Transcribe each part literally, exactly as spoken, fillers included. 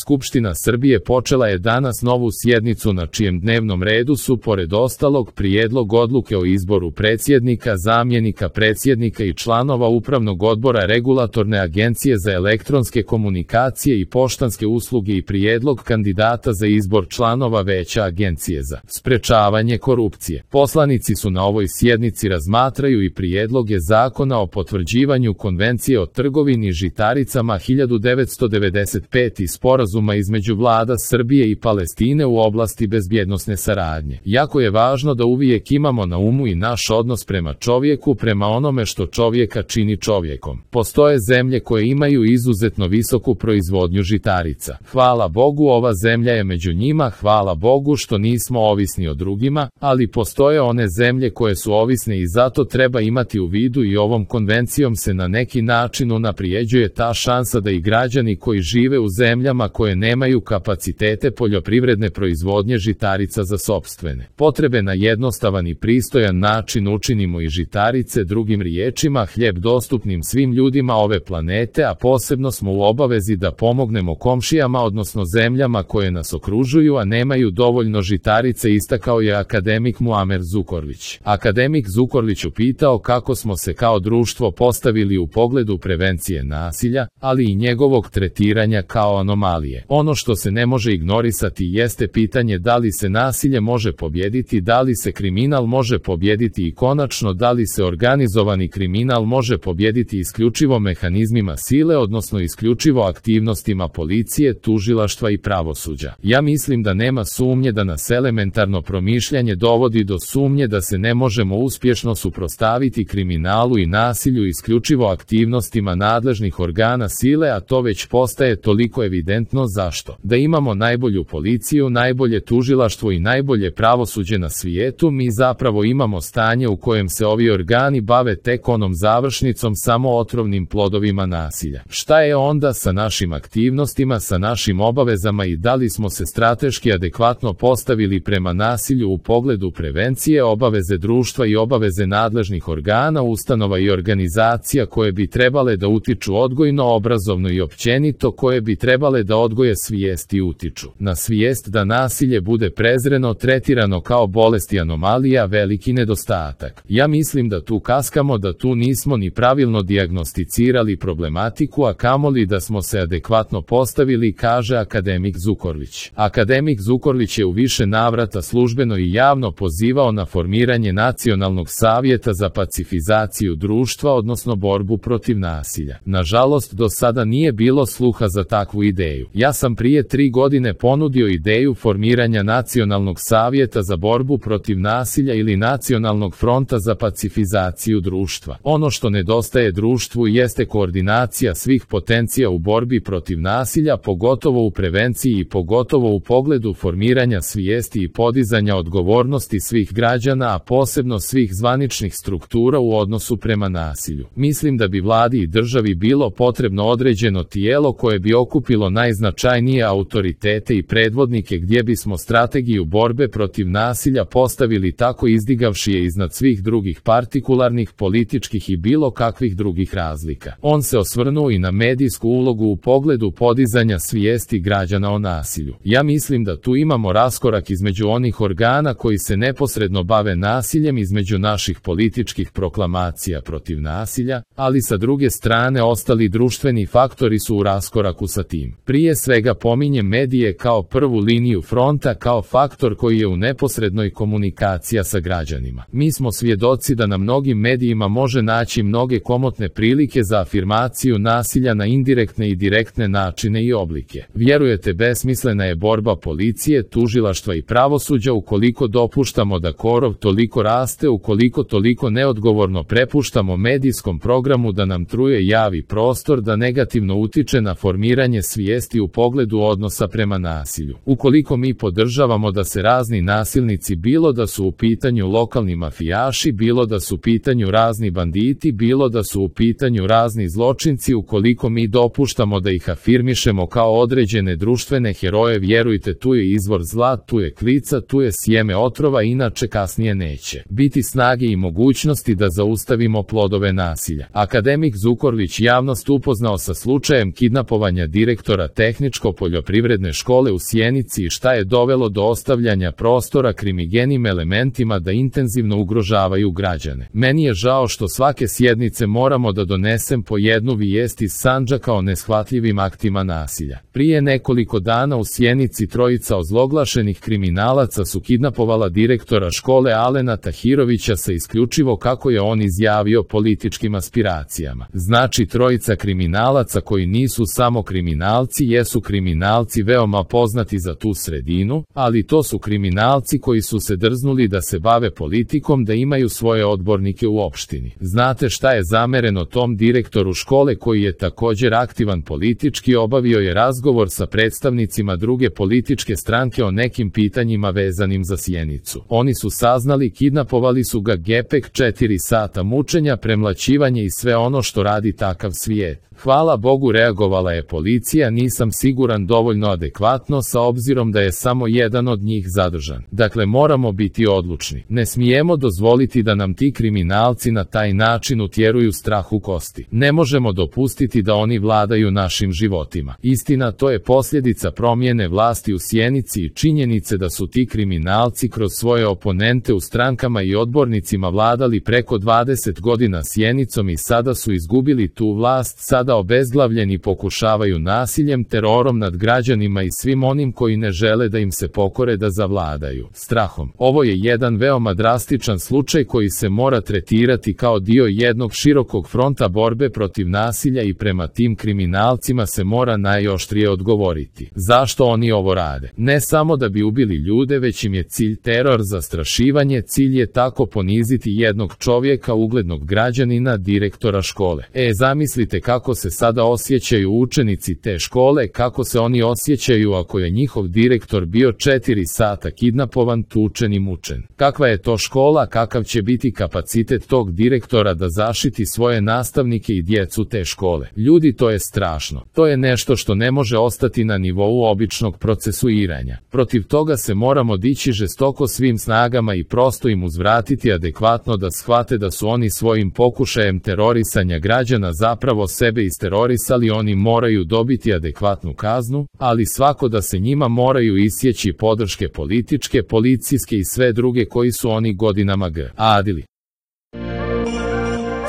Skupština Srbije počela je danas novu sjednicu na čijem dnevnom redu su, pored ostalog, prijedlog odluke o izboru predsjednika, zamjenika predsjednika i članova Upravnog odbora Regulatorne agencije za elektronske komunikacije i poštanske usluge i prijedlog kandidata za izbor članova Veća Agencije za sprečavanje korupcije. Poslanici su na ovoj sjednici razmatraju i prijedloge Zakona o potvrđivanju Konvencije o trgovini žitaricama hiljadu devetsto devedeset pete i sporazuma između vlada Srbije i Palestine u oblasti bezbjednosne saradnje. Jako je važno da uvijek imamo na umu i naš odnos prema čovjeku, prema onome što čovjeka čini čovjekom. Postoje zemlje koje imaju izuzetno visoku proizvodnju žitarica. Hvala Bogu, ova zemlja je među njima, hvala Bogu što nismo ovisni o drugima, ali postoje one zemlje koje su ovisne i zato treba imati u vidu i ovom konvencijom se na neki način unaprijeđuje ta šansa da i građani koji žive u zemljama koje nemaju kapacitete poljoprivredne proizvodnje žitarica za sopstvene potrebe na jednostavan i pristojan način učinimo i žitarice, drugim riječima hljeb dostupnim svim ljudima ove planete, a posebno smo u obavezi da pomognemo komšijama odnosno zemljama koje nas okružuju, a nemaju dovoljno žitarice, istakao je akademik Muamer Zukorlić. Akademik Zukorlić upitao kako smo se kao društvo postavili u pogledu prevencije nasilja, ali i njegovog tretiranja kao anomalije. Ono što se ne može ignorisati jeste pitanje da li se nasilje može pobijediti, da li se kriminal može pobijediti i konačno da li se organizovani kriminal može pobijediti isključivo mehanizmima sile, odnosno isključivo aktivnostima policije, tužilaštva i pravosuđa. Ja mislim da nema sumnje da nas elementarno promišljanje dovodi do sumnje da se ne možemo uspješno suprotstaviti kriminalu i nasilju isključivo aktivnostima nadležnih organa sile, a to već postaje toliko evidentno. Zašto? Da imamo najbolju policiju, najbolje tužilaštvo i najbolje pravosuđe na svijetu, mi zapravo imamo stanje u kojem se ovi organi bave tek onom završnicom, samo otrovnim plodovima nasilja. Šta je onda sa našim aktivnostima, sa našim obavezama i da li smo se strateški adekvatno postavili prema nasilju u pogledu prevencije, obaveze društva i obaveze nadležnih organa, ustanova i organizacija koje bi trebale da utiču odgojno, obrazovno i općenito, koje bi trebale da odgoje svijest i utiču na svijest da nasilje bude prezreno, tretirano kao bolest i anomalija, veliki nedostatak. Ja mislim da tu kaskamo, da tu nismo ni pravilno dijagnosticirali problematiku, a kamoli da smo se adekvatno postavili, kaže akademik Zukorlić. Akademik Zukorlić je u više navrata službeno i javno pozivao na formiranje Nacionalnog savjeta za pacifizaciju društva, odnosno borbu protiv nasilja. Nažalost, do sada nije bilo sluha za takvu ideju. Ja sam prije tri godine ponudio ideju formiranja Nacionalnog savjeta za borbu protiv nasilja ili Nacionalnog fronta za pacifizaciju društva. Ono što nedostaje društvu jeste koordinacija svih potencija u borbi protiv nasilja, pogotovo u prevenciji i pogotovo u pogledu formiranja svijesti i podizanja odgovornosti svih građana, a posebno svih zvaničnih struktura u odnosu prema nasilju. Mislim da bi vladi i državi bilo potrebno određeno tijelo koje bi okupilo najznačajnije autoritete i predvodnike, gdje bismo strategiju borbe protiv nasilja postavili tako izdigavši je iznad svih drugih partikularnih, političkih i bilo kakvih drugih razlika. On se osvrnuo i na medijsku ulogu u pogledu podizanja svijesti građana o nasilju. Ja mislim da tu imamo raskorak između onih organa koji se neposredno bave nasiljem, između naših političkih proklamacija protiv nasilja, ali sa druge strane ostali društveni faktori su u raskoraku sa tim. Prije svega pominjem medije kao prvu liniju fronta, kao faktor koji je u neposrednoj komunikaciji sa građanima. Mi smo svjedoci da na mnogim medijima može naći mnoge komotne prilike za afirmaciju nasilja na indirektne i direktne načine i oblike. Vjerujete, besmislena je borba policije, tužilaštva i pravosuđa ukoliko dopuštamo da korov toliko raste, ukoliko toliko neodgovorno prepuštamo medijskom programu da nam truje javi prostor, da negativno utiče na formiranje svijesti u pogledu odnosa prema nasilju. Ukoliko mi podržavamo da se razni nasilnici, bilo da su u pitanju lokalni mafijaši, bilo da su u pitanju razni banditi, bilo da su u pitanju razni zločinci, ukoliko mi dopuštamo da ih afirmišemo kao određene društvene heroje, vjerujte, tu je izvor zla, tu je klica, tu je sjeme otrova, inače kasnije neće biti snage i mogućnosti da zaustavimo plodove nasilja. Akademik Zukorlić javnost upoznao sa slučajem kidnapovanja direktora T tehničko-poljoprivredne škole u Sjenici i šta je dovelo do ostavljanja prostora krimigenim elementima da intenzivno ugrožavaju građane. Meni je žao što svake sjednice moramo da donesem po jednu vijest iz Sandžaka o neshvatljivim aktima nasilja. Prije nekoliko dana u Sjenici trojica ozloglašenih kriminalaca su kidnapovala direktora škole Alena Tahirovića sa isključivo, kako je on izjavio, političkim aspiracijama. Znači, trojica kriminalaca koji nisu samo kriminalci, jesu kriminalci veoma poznati za tu sredinu, ali to su kriminalci koji su se drznuli da se bave politikom, da imaju svoje odbornike u opštini. Znate šta je zamereno tom direktoru škole koji je također aktivan politički? Obavio je razgovor sa predstavnicima druge političke stranke o nekim pitanjima vezanim za Sjenicu. Oni su saznali, kidnapovali su ga, gepek, četiri sata mučenja, premlaćivanje i sve ono što radi takav svijet. Hvala Bogu, reagovala je policija, nisam siguran dovoljno adekvatno sa obzirom da je samo jedan od njih zadržan. Dakle, moramo biti odlučni. Ne smijemo dozvoliti da nam ti kriminalci na taj način utjeruju strah u kosti. Ne možemo dopustiti da oni vladaju našim životima. Istina, to je posljedica promjene vlasti u Sjenici i činjenice da su ti kriminalci kroz svoje oponente u strankama i odbornicima vladali preko dvadeset godina Sjenicom i sada su izgubili tu vlast, sada obezglavljeni pokušavaju nasiljem, terorom nad građanima i svim onim koji ne žele da im se pokore da zavladaju strahom. Ovo je jedan veoma drastičan slučaj koji se mora tretirati kao dio jednog širokog fronta borbe protiv nasilja i prema tim kriminalcima se mora najoštrije odgovoriti. Zašto oni ovo rade? Ne samo da bi ubili ljude, već im je cilj teror, zastrašivanje, cilj je tako poniziti jednog čovjeka, uglednog građanina, direktora škole. E, zamislite kako se sada osjećaju učenici te škole, kako se oni osjećaju ako je njihov direktor bio četiri sata kidnapovan, tučen i mučen. Kakva je to škola, kakav će biti kapacitet tog direktora da zaštiti svoje nastavnike i djecu te škole? Ljudi, to je strašno. To je nešto što ne može ostati na nivou običnog procesuiranja. Protiv toga se moramo dići žestoko svim snagama i prosto im uzvratiti adekvatno da shvate da su oni svojim pokušajem terorisanja građana zapravo sebe isterorisali. Oni moraju dobiti adekvatnu kaznu, ali svako da se njima moraju isjeći podrške političke, policijske i sve druge koji su oni godinama gradili.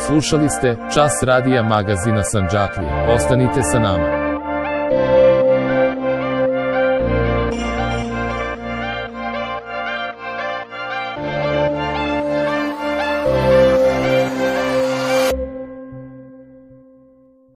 Slušali ste Čas radija magazina Sandžaklije. Ostanite sa nama.